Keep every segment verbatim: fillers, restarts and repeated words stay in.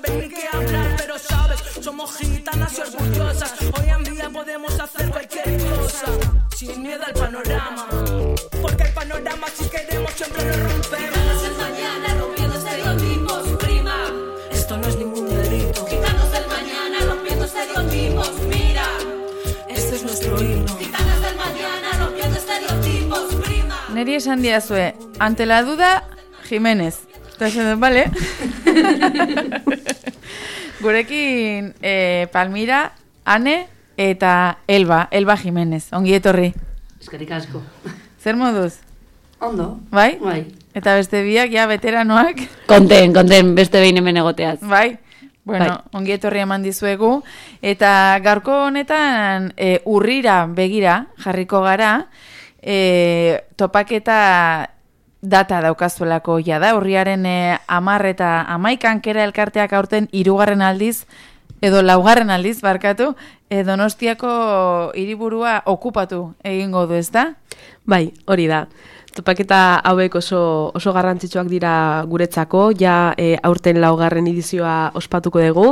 saben ni qué hablar, pero sabes, somos gitanas y orgullosas. Hoy en día podemos hacer cualquier cosa, sin miedo al panorama, porque el panorama si queremos siempre lo rompemos. Gitanos del mañana rompiendo estereotipos, prima. Esto no es ningún delito. Gitanos del mañana rompiendo estereotipos, mira. Este es nuestro himno. Gitanos del mañana rompiendo estereotipos, prima. Neri esan diazue, ante la duda, Jiménez. Eta esan, bale? Gurekin eh, Palmira, Ane eta Elba, Elba Jiménez. Ongi etorri. Eskerrik asko. Zer moduz? Ondo. Bai? Bai. Eta beste biak, ja, veteranoak. Konten, konten, beste behin hemen egoteaz. Bai? Bueno, bai. Ongi etorri eman dizuegu. Eta gaurko honetan e, urrira begira jarriko gara, e, topaketa data daukazuelako ja da, urriaren e, amar eta amaikan kera elkarteak aurten hirugarren aldiz, edo laugarren aldiz, barkatu, e, Donostiako hiriburua okupatu egingo du, ezta? Bai, hori da. Topaketa hauek oso, oso garrantzitsuak dira guretzako, ja e, aurten laugarren edizioa ospatuko dugu.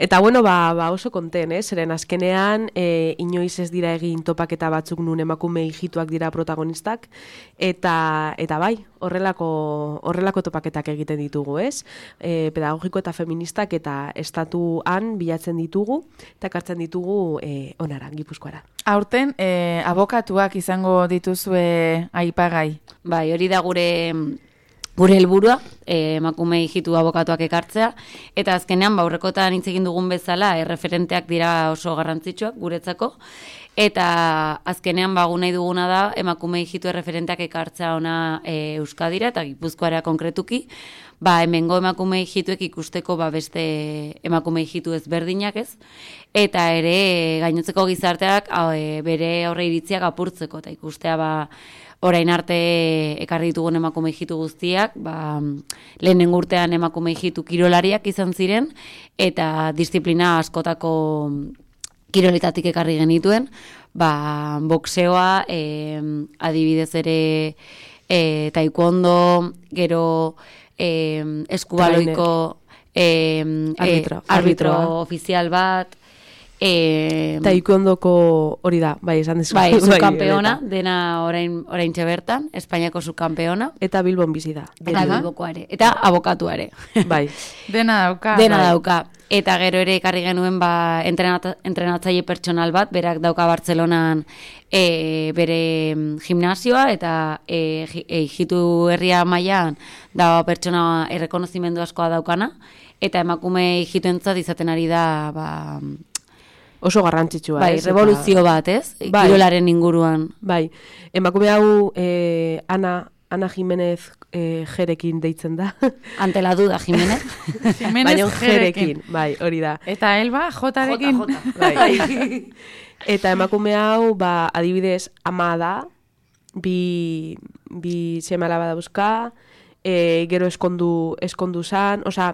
Eta bueno, ba, ba oso konten, eh? Zeren azkenean e, inoiz ez dira egin topaketa batzuk nun emakume hijituak dira protagonistak, eta eta bai, horrelako horrelako topaketak egiten ditugu, ez? E, pedagogiko eta feministak eta estatuan bilatzen ditugu, eta ekartzen ditugu e, onara, Gipuzkoara. Aurten, e, abokatuak izango dituzue aipagai. Bai, hori da gure gure helburua, eh, emakume hijitu abokatuak ekartzea, eta azkenean ba aurrekotan hitz egin dugun bezala, erreferenteak dira oso garrantzitsuak guretzako, eta azkenean ba nahi duguna da emakume hijitu erreferenteak ekartzea ona e, Euskadira eta Gipuzkoara konkretuki, ba hemengo emakume hijituek ikusteko ba beste emakume hijitu ezberdinak, ez? Eta ere gainotzeko gizarteak e, bere aurre iritziak apurtzeko eta ikustea ba orain arte ekarri ditugun emakume hijitu guztiak, ba, lehenen urtean emakume hijitu kirolariak izan ziren, eta disiplina askotako kiroletatik ekarri genituen, ba, boxeoa, e, adibidez ere e, taekwondo, gero e, eskubaloiko e, arbitro, e, arbitro ofizial bat, Eh, Taekwondoko hori da, bai, esan dezu. Bai, subkampeona, dena orain oraintxe bertan, Espainiako subkampeona. Eta Bilbon bizi da. Eta Bilbokoare. Eta abokatuare. Bai. Dena dauka. Dena bai. dauka. Eta gero ere ekarri genuen ba, entrenat, entrenatzaile pertsonal bat, berak dauka Bartzelonan e, bere gimnasioa, eta e, hijitu herria mailan da pertsona errekonozimendu askoa daukana, eta emakume hijituentzat izaten ari da ba, oso garrantzitsua, bai, ez? revoluzio bat, ez? Bai. Kirolaren inguruan. Bai, emakume hau eh, Ana, Ana Jimenez eh, jerekin deitzen da. Ante la duda, Jimenez. Jimenez Baina jerekin. jerekin, bai, hori da. Eta Elba, jotarekin. Jota, jota. Bai. Eta emakume hau, ba, adibidez, ama da, bi, bi seme alaba dauzka, e, gero eskondu, eskondu zan, osea,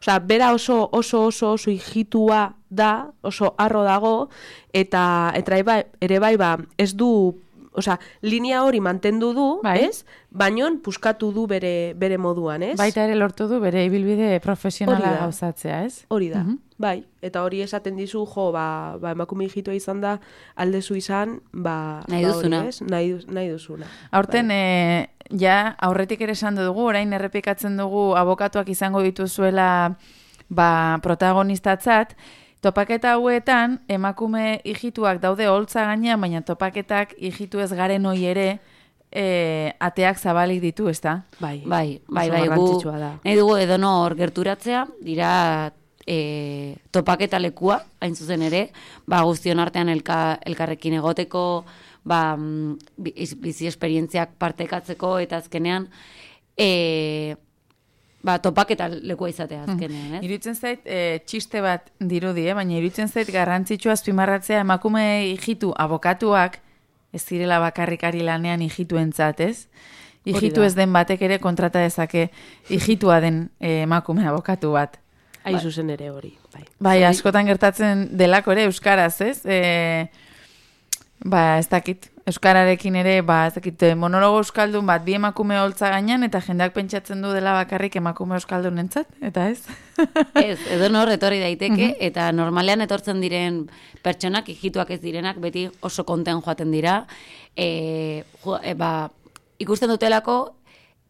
Osea, bera oso oso oso oso hijitua da, oso harro dago, eta eta ere bai, ere bai ba, ez du, osea, linea hori mantendu du, bai. ez? Baino puskatu du bere bere moduan, ez? Baita ere lortu du bere ibilbide profesionala Hori da. gauzatzea, ez? Hori da, Mhm. bai. Eta hori esaten dizu, jo, ba, ba emakume hijitua izan da, aldezu izan, ba, Nahi ba hori, duzuna. ez? Nahi, du- nahi duzuna. Aurten, Bai. e, ja, aurretik ere esan dugu, orain errepikatzen dugu abokatuak izango dituzuela ba, protagonistatzat, topaketa hauetan, emakume hijituak daude holtza gainean, baina topaketak hijitu ez garen hoi ere e, ateak zabalik ditu, ezta? Bai, Bai, bai, oso bai, gu garrantzitsua da. nahi dugu edonor gerturatzea, dira e, topaketa lekua, hain zuzen ere, ba, guztion artean elka, elkarrekin egoteko, ba, mm, biz- bizi esperientziak partekatzeko, eta azkenean, e, ba, topaketa lekua izatea azkenean, ez? Iruditzen zait, e, txiste bat dirudi, eh? Baina iruditzen zait garrantzitsua azpimarratzea emakume hijitu abokatuak ez direla bakarrikari lanean hijituentzat, ez? Hijitu da. ez den batek ere kontrata dezake hijitua den e, emakume abokatu bat. Hain zuzen ere hori, bai. Bai, askotan gertatzen delako ere euskaraz, ez? E, ba, ez dakit. Euskararekin ere, ba, ez dakit, monologo euskaldun bat, bi emakume holtza gainean, eta jendeak pentsatzen du dela bakarrik emakume euskaldun entzat, eta ez? Ez, edo nor etorri daiteke, eta normalean etortzen diren pertsonak, hijituak ez direnak, beti oso konten joaten dira, e, jo, e, ba, ikusten dutelako,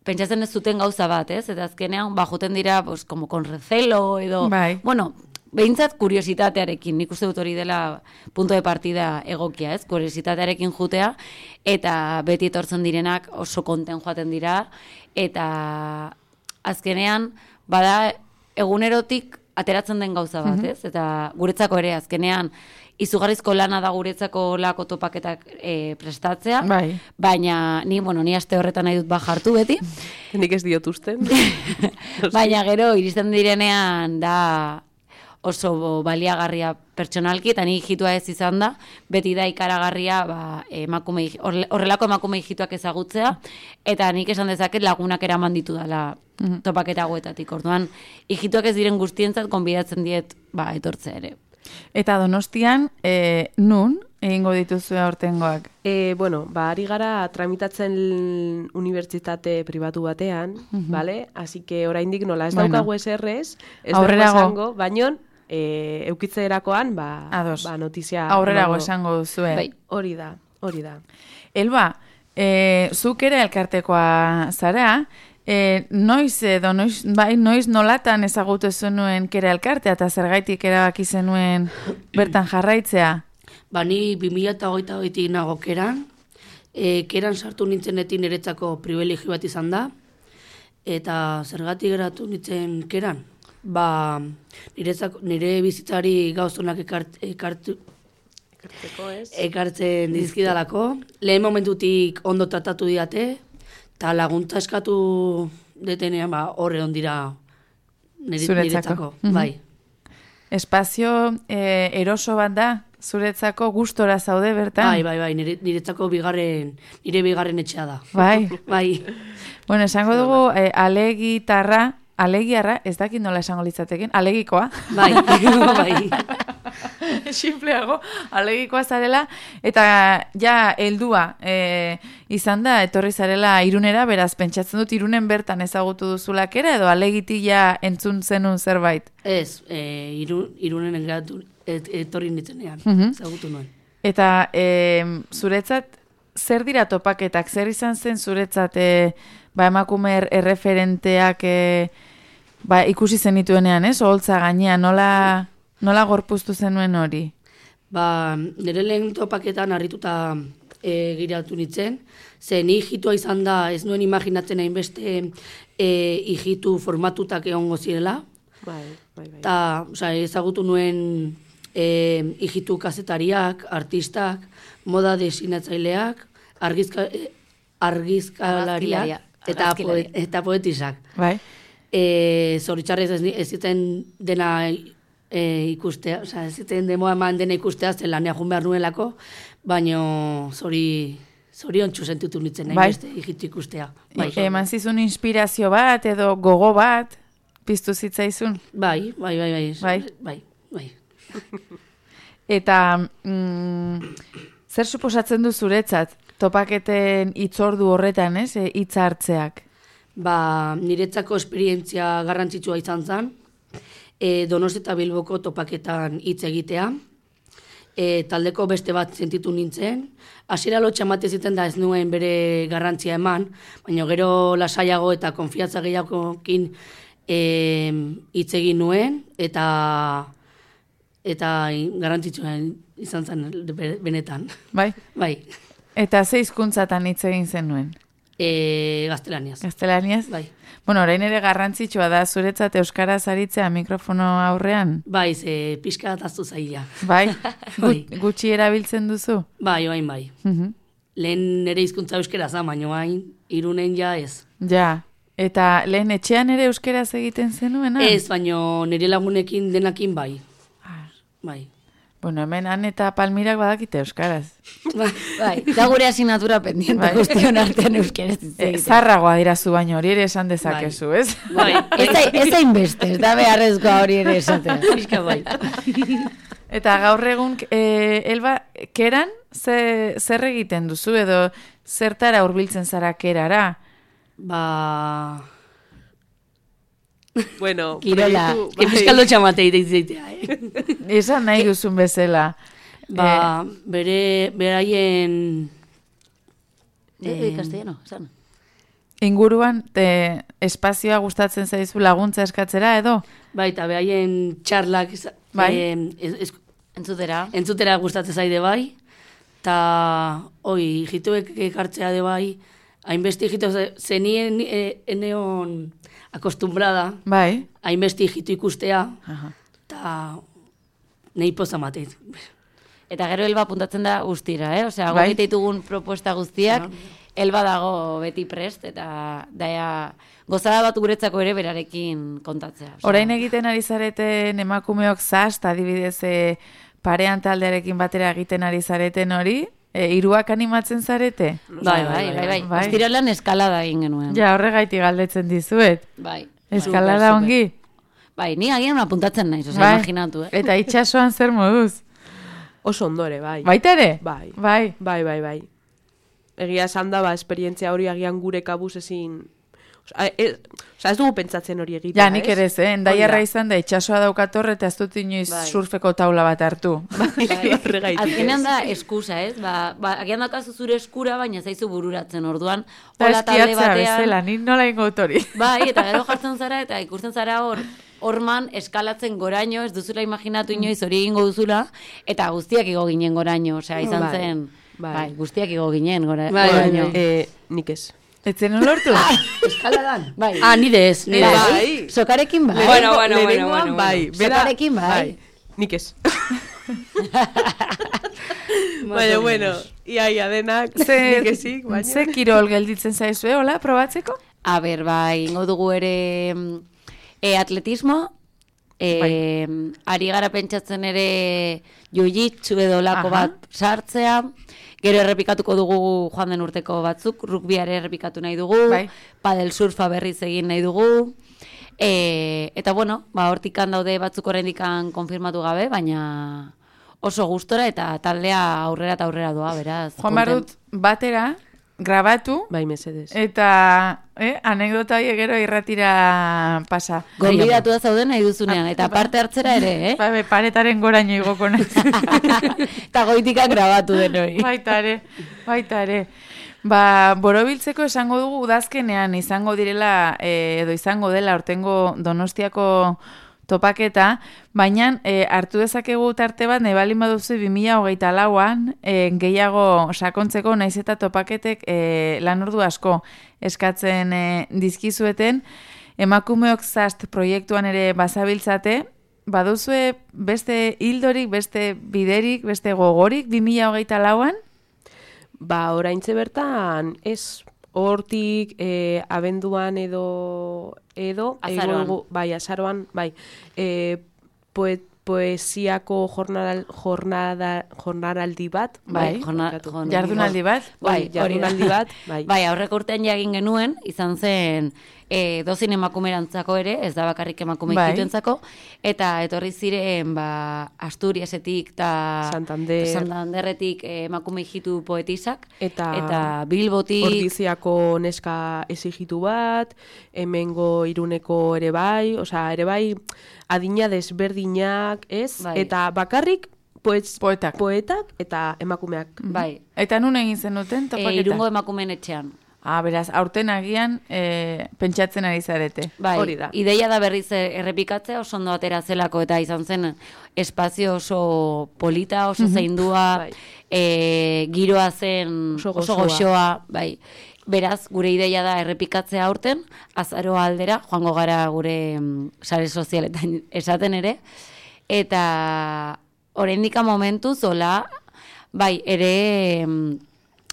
pentsatzen ez zuten gauza bat, ez? Eta azkenean, ba, joten dira, pues, como con recelo, edo, bai. bueno, behintzat kuriositatearekin, nik uste dut hori dela punto de partida egokia, ez? Kuriositatearekin jutea, eta beti etortzen direnak oso konten joaten dira, eta azkenean, bada, egunerotik ateratzen den gauza bat, ez? Eta guretzako ere, azkenean, izugarrizko lana da guretzako lako topaketak e, prestatzea, bai. Baina, ni, bueno, ni aste horretan nahi dut bajartu beti. Nik ez diot usten. Baina gero, iristen direnean, da oso baliagarria pertsonalki, eta ni hijitua ez izan da, beti da ikaragarria ba, emakume, horrelako emakume hijituak ezagutzea, eta nik esan dezaket lagunak eraman ditu dela topaketa hauetatik. Orduan, hijituak ez diren guztientzat konbidatzen diet ba, etortzea ere. Eta Donostian, e, nun egingo dituzu aurtengoak? E, bueno, ba, ari gara tramitatzen unibertsitate pribatu batean, uh-huh. Vale? Así que oraindik nola ez bueno. daukagu eserrez, ez dugu esango, baino, e, eukitzerakoan, ba, ba notizia... Aurrerago esango duzue. Bai, hori da, hori da. Elba, e, zuk ere elkartekoa zara, E, noiz edo, noiz, bai, noiz nolatan ezagutu zenuen kera elkartea eta zergaitik erabaki zenuen bertan jarraitzea? Ba, ni bi mila hogeita hogeitik nago keran, e, keran sartu nintzenetik niretzako privilegio bat izan da, eta zergatik geratu nintzen keran. Ba, niretzako, nire bizitzari gauzonak ekart, ekartu, ekartzen dizkidalako, lehen momentutik ondo tratatu diate, eta laguntza eskatu detenean, ba, horre ondira niretzako. Mm-hmm. Bai. Espazio e, eroso bat da, zuretzako gustora zaude bertan? Bai, bai, bai, nire, niretzako bigarren, nire bigarren etxea da. Bai. Bai. Bueno, esango dugu, e, alegitarra, alegiarra, ez dakit nola esango litzateken, alegikoa. Bai, bai. Simpleago, alegikoa zarela, eta ja, heldua e, izan da, etorri zarela irunera, beraz, pentsatzen dut irunen bertan ezagutu duzulak ere, edo alegitik ja entzun zenun zerbait? Ez, e, iru, irunen engatu, et, etorri nitzenean, uh-huh. ezagutu nuen. Eta e, zuretzat, zer dira topaketak, zer izan zen zuretzat, e, ba, emakume erreferenteak e, ba, ikusi zenituenean, ez? Oholtza gainean, nola... Nola gorpuztu zenuen hori? Ba, nire lehen topaketan harrituta e, giratu nintzen, ze ni hijitua izan da, ez nuen imaginatzen hainbeste e, hijitu formatutak egongo zirela. Bai, bai, bai. Ta, oza, ezagutu nuen e, hijitu kazetariak, artistak, moda desinatzaileak, argizka, argizkalariak eta, poe, eta poetisak. Bai. E, Zoritxarrez ez, ez ziten dena... E, ikustea, oza, ez ziten demoa eman dena ikustea, zen lanea jun behar nuelako, baina zori, zori ontsu sentitu nintzen nahi, bai. Beste hijitu ikustea. Bai. E, eman zizun inspirazio bat, edo gogo bat, piztu zitzaizun? Bai, bai, bai, bai. Bai? Bai, bai. Eta, mm, zer suposatzen du zuretzat, topaketen hitzordu horretan, ez, e, hitz hartzeak? Ba, niretzako esperientzia garrantzitsua izan zen, E, Donosti eta Bilboko topaketan hitz egitea. E, taldeko beste bat sentitu nintzen. Hasiera lotxa emate ziten da ez nuen bere garrantzia eman, baina gero lasaiago eta konfiantza gehiagokin hitz egin nuen, eta eta garrantzitsua izan zen benetan. Bai? Bai. Eta ze hizkuntzatan hitz egin zenuen? E, gaztelaniaz. Gaztelaniaz? Bai. Bueno, orain ere garrantzitsua da zuretzat euskaraz aritzea mikrofono aurrean? Bai, ze pixka ataztu zaila. Bai? Bai. Gutxi erabiltzen duzu? Bai, oain bai. Uh-huh. Lehen nire hizkuntza euskera za, baina oain irunen ja ez. Ja, eta lehen etxean ere euskeraz egiten zenuena? Ez, baina nire lagunekin denakin bai. Ah. Bai. Bueno, hemen han eta Palmirak badakite euskaraz. Bai, da gure asignatura pendiente bai. Guztion artean euskaraz. E, zarragoa dirazu baino, hori ere esan dezakezu, bai. Ez? Bai. Ez da inbeste, ez da beharrezkoa hori ere esatea. Fiska bai. Eta gaur egun, e, Elba, keran, ze, zer egiten duzu edo zertara hurbiltzen zara kerara? Ba... Bueno, Kirola, proiektu- que fiskaldo txamate itea, eh? Esan nahi duzun bezala. Ba, bere, beraien... Eh, castellano, esan. Inguruan, te, espazioa gustatzen zaizu laguntza eskatzera edo? Bai, eta behaien txarlak eza- Bai. em, ez, ez, Entzutera. entzutera gustatzen zaide bai, eta hoi, hijituek ekartzea de bai, hainbesti hijitu zenien e, eneon akostumbrada, Bai. hainbesti hijitu ikustea, Aha. eta nahi poza mateit. Eta gero Elba puntatzen da guztira, eh? Osea, Bai. gogite ditugun proposta guztiak, Elba dago beti prest, eta daia gozada bat guretzako ere berarekin kontatzea. Osea, Orain egiten ari zareten emakumeok zast, adibidez e, parean taldearekin batera egiten ari zareten hori, e, hiruak animatzen zarete? Bai, bai, bai, bai. Bai. Ostiralan eskalada egin genuen. Ja, horregaitik galdetzen dizuet. Bai. Eskalada Super, super. ongi? Bai, ni agian apuntatzen naiz, osea, Bai. imaginatu, eh? Eta itxasoan zer moduz? Oso ondore, bai. Baita ere? Bai. Bai. Bai, bai, bai. Egia esan da, ba, esperientzia hori agian gure kabuz ezin... Osa, ez, osa, ez dugu pentsatzen hori egitea, Ja, nik ere ez, eh? Endaiarra Hori da. izan da, itxasoa daukator eta ez dut inoiz Bai. surfeko taula bat hartu. Bai, horregaitik, Azkenean ez. da eskusa, ez? Ba, ba, agian dakazu zure eskura, baina zaizu bururatzen orduan. Eta Hola talde eskiatzea batean. bezala, nik nola ingo hori. Bai, eta gero jartzen zara, eta ikusten zara hor, horman eskalatzen goraino, ez duzula imaginatu inoiz hori egingo duzula, eta guztiak igo ginen goraino, osea, izan Bai, zen, bai. bai, guztiak igo ginen gora, Bai, bai, goraino. bai. Eh, nik ez. Etzen lortu? Eskaladan? Bai. Ah, nire ez, nire ez. Bai. Sokarekin bai. Bueno, bueno, bueno, Lehenengoan, bueno, bai. bueno. Bera- Sokarekin, bai. Nik ez. Más Baina, o bueno, menos. ia, ia denak, Ze, nik ezik, baina... ze kirol gelditzen zaizue, hola, probatzeko? A ber, bai, ingo dugu ere mm, e, atletismo, e, Bai. ari gara pentsatzen ere jiu-jitsu edo lako Aha. bat sartzea, gero errepikatuko dugu joan den urteko batzuk, rugbiare errepikatu nahi dugu, Bai. padel surfa berriz egin nahi dugu, e, eta bueno, ba, hortikan daude batzuk oraindikan konfirmatu gabe, baina oso gustora eta taldea aurrera eta aurrera doa, beraz. Joan behar kontent. dut batera, grabatu, Bai, mesedez. eta eh, anekdota horiek gero irratira pasa. Gonbidatu da zauden nahi duzunean, eta parte hartzera ere, eh? Ba, be, paretaren goraino igoko naiz. Eta goitika grabatu den hori. Baita ere, baita ere. Ba, borobiltzeko esango dugu udazkenean izango direla, eh, edo izango dela ortengo Donostiako topaketa, baina eh, hartu dezakegu tarte bat, nahi balin baduzu bi mila hogeita lauan, eh, gehiago sakontzeko, naiz eta topaketek eh, lan ordu asko eskatzen eh, dizkizueten, emakumeok zast proiektuan ere bazabiltzate, baduzue beste hildorik, beste biderik, beste gogorik bi mila hogeita lauan? Ba, oraintze bertan, ez hortik e, abenduan edo edo Azaroan. egongo- bai, azaroan, bai. E, poet, poesiako jornadal, jornada, jornaraldi bat, Bai, bai, jorna- barkatu. jorn- Jardunaldi bat? Bai, Bai, hori da. jardunaldi bat, bai. Bai, aurreko urtean ja egin genuen, izan zen e, dozin emakumerantzako ere, ez da bakarrik emakume Bai. ikituentzako, eta etorri ziren ba, Asturiasetik eta Santander. Santanderretik e, emakume ikitu poetisak, Eta, eta Bilbotik, Ordiziako neska exigitu bat, hemengo iruneko ere bai, osea, ere bai, adina desberdinak, ez? Bai. Eta bakarrik, poetz, Poetak. poetak eta emakumeak. bai, Eta nun egin zenuten e, topaketa? irungo emakumeen etxean. Ah, beraz, aurten agian e, pentsatzen ari zarete. Bai, Hori da. ideia da berriz errepikatzea, oso ondo atera zelako, eta izan zen espazio oso polita, oso zeindua, Bai. e, giroa zen Oso oso, gozoa. goxoa, bai. Beraz, gure ideia da errepikatzea aurten, azaroa aldera, joango gara gure mm, sare sozialetan esaten ere, eta oraindika momentu zola, bai, ere mm,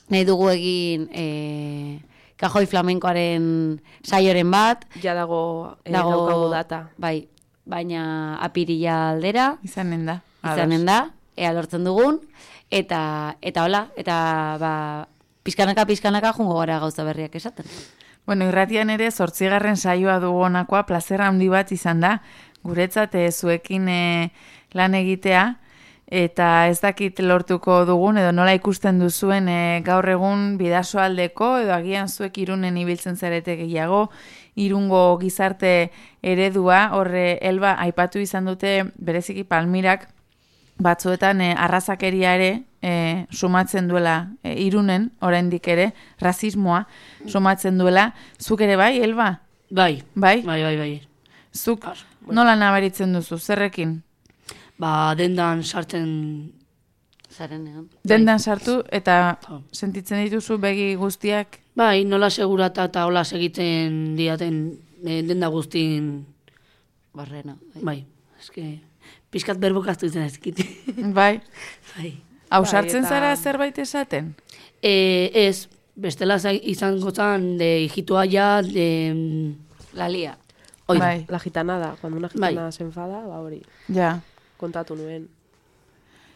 nahi dugu egin e, kajoi flamenkoaren saioren bat, Ja dago, eh, dago daukagu data. Bai, baina apirila aldera, Izanen da. izanen da, ea lortzen dugun, eta eta hola, eta ba, pizkanaka pizkanaka jungo gara gauza berriak esaten. Bueno, irratian ere zortzigarren saioa dugu honakoa, plazera handi bat izan da, guretzat eh, zuekin eh, lan egitea, eta ez dakit lortuko dugun, edo nola ikusten duzuen e, gaur egun bidasoaldeko, edo agian zuek Irunen ibiltzen zarete gehiago, Irungo gizarte eredua, horre Elba aipatu izan dute bereziki Palmirak, batzuetan e, arrazakeria ere e, sumatzen duela e, Irunen, oraindik ere, rasismoa sumatzen duela. Zuk ere bai, Elba? Bai, bai, bai, bai. bai. Zuk nola nabaritzen duzu, zerrekin? Ba, dendan sartzen... Zarenean. Dendan sartu eta sentitzen dituzu begi guztiak? Bai, nola segurata eta hola segiten diaten e, denda guztin... Barrena. Bai, bai. eske... Piskat berbokaztu izan ezkit. Bai. Bai. Hau sartzen eta... zara zerbait esaten? E, ez, bestela izango zan de hijitua ja, de... La lia. Oida, bai. La gitanada, cuando una gitana bai. se enfada, ba hori. Ja. Kontatu nuen.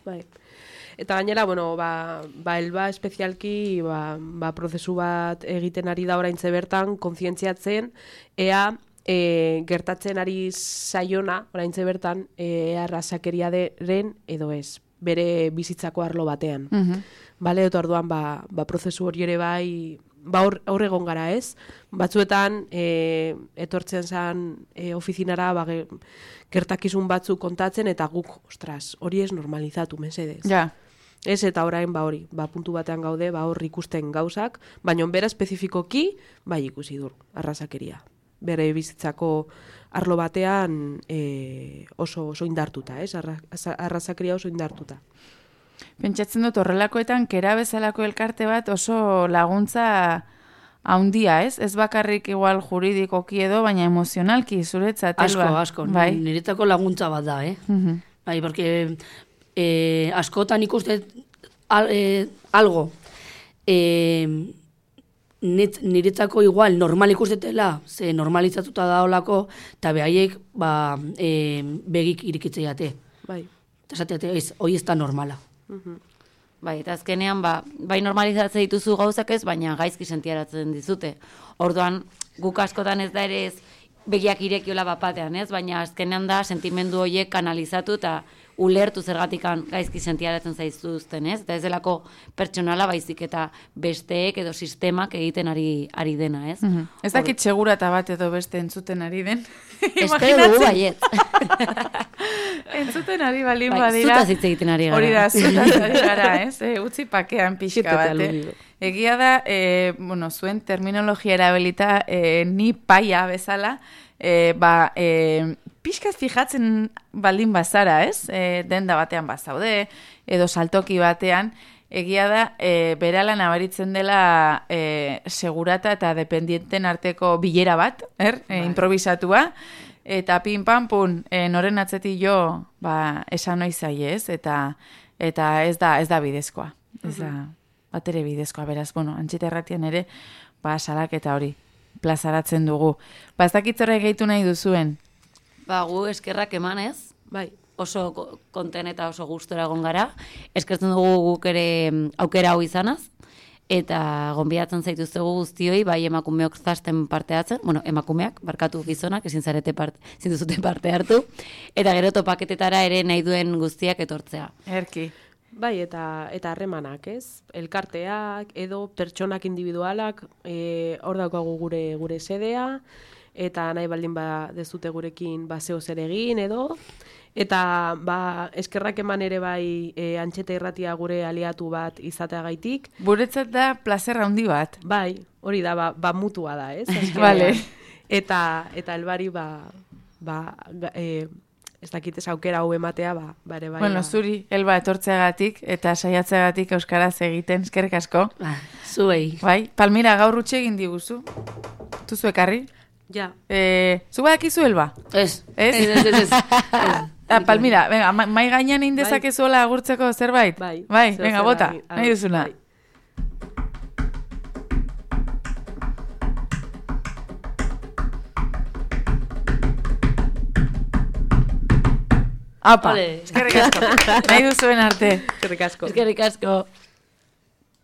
Bai. Eta gainera, bueno, ba, ba Elba espezialki, ba, ba prozesu bat egiten ari da oraintze bertan, kontzientziatzen, ea e, gertatzen ari zaiona, oraintze bertan, ea arrazakeriaren edo ez, bere bizitzako arlo batean. Uh-huh. Bale, eta orduan, ba, ba prozesu hori ere bai, ba hor, hor egon gara ez, batzuetan e, etortzen zen e, ofizinara ba, ge, gertakizun batzu kontatzen eta guk, ostras, hori ez normalizatu, mesedez. Ja. Ez eta orain ba hori, ba puntu batean gaude, ba hor ikusten gauzak, baina bera espezifikoki bai ikusi dur, arrazakeria. Bere bizitzako arlo batean e, oso, oso indartuta, ez? Arra, arrazakeria oso indartuta. Pentsatzen dut horrelakoetan kera bezalako elkarte bat oso laguntza haundia, ez? Ez bakarrik igual juridikoki edo, baina emozionalki zuretzat. Asko, Elba. asko. Bai. Niretzako laguntza bat da, eh? Uh-huh. Bai, porque eh, askotan ikuste al, eh, algo eh, niretzako igual normal ikustetela, ze normalizatuta da olako, eta behaiek ba, eh, begik irikitzeiate. Bai. Eta esateate, ez, hoi ez da normala. Uh-huh. Bai, eta azkenean, ba, bai normalizatzen dituzu gauzak ez, baina gaizki sentiaratzen dizute. Orduan, guk askotan ez da ere ez begiak irekiola bapatean, ez? Baina azkenean da sentimendu horiek kanalizatu eta ulertu zergatikan gaizki sentiaratzen zaizuzten, ez? Eta ez delako pertsonala baizik eta besteek edo sistemak egiten ari ari dena, ez? Uh-huh. Ez dakit segurata bat edo beste entzuten ari den. Espero dugu baiet. Entzuten ari balin bai, badira. Zutaz hitz egiten ari gara. Hori da, zutaz ari gara, ez? E, utzi pakean pixka bat. Egia da, e, bueno, zuen terminologia erabilita e, ni paia bezala, e, ba, e, pixkaz fijatzen baldin bazara, ez? E, denda batean bazaude, edo saltoki batean, egia da, e, berala nabaritzen dela e, segurata eta dependienten arteko bilera bat, er? E, improvisatua, eta pin pan pun, e, noren atzetik jo, ba, esan noiz zai, ez? Eta, eta ez da, ez da bidezkoa. Ez da, bat ere bidezkoa, beraz, bueno, Antxeta Erratian ere, ba, salaketa hori, plazaratzen dugu. Ba, ez dakitzora gehitu nahi duzuen? Ba, gu eskerrak emanez, bai, oso konten eta oso gustora egon gara, eskertzen dugu guk ere aukera hau izanaz, eta gonbidatzen zaituztegu guztioi, bai emakumeok zasten parte hartzen, bueno, emakumeak, barkatu gizonak, ezin zarete parte, ezin duzute parte hartu, eta gero topaketetara ere nahi duen guztiak etortzea. Erki. Bai, eta eta harremanak, ez? Elkarteak edo pertsonak individualak, eh, hor daukagu gure gure sedea, eta nahi baldin ba dezute gurekin ba zeo zer egin edo, eta ba eskerrak eman ere bai e, Antxeta Irratia gure aliatu bat izateagaitik. Guretzat da plazer handi bat. Bai, hori da, ba, ba mutua da, ez? Vale. Eta eta Elbari ba ba e, ez dakit ez aukera hau ematea, ba, bare bai. Bueno, ba. zuri, Elba, etortzeagatik eta saiatzeagatik euskaraz egiten, eskerrik asko. Ba, zuei. Bai, Palmira gaur utxe egin diguzu. Tuzu ekarri? Ja. Eh, zu badakizu, Elba? Ez. Ez? Ez, ez, ez. Ah, Palmira, venga, mai gainean indezakezuela agurtzeko zerbait? Bai. Bai, Zeo venga, zer bota, ari- nahi duzuna. bai. Apa, Vale. eskerrik asko. Nahi duzuen arte. Eskerrik asko. Eskerrik asko.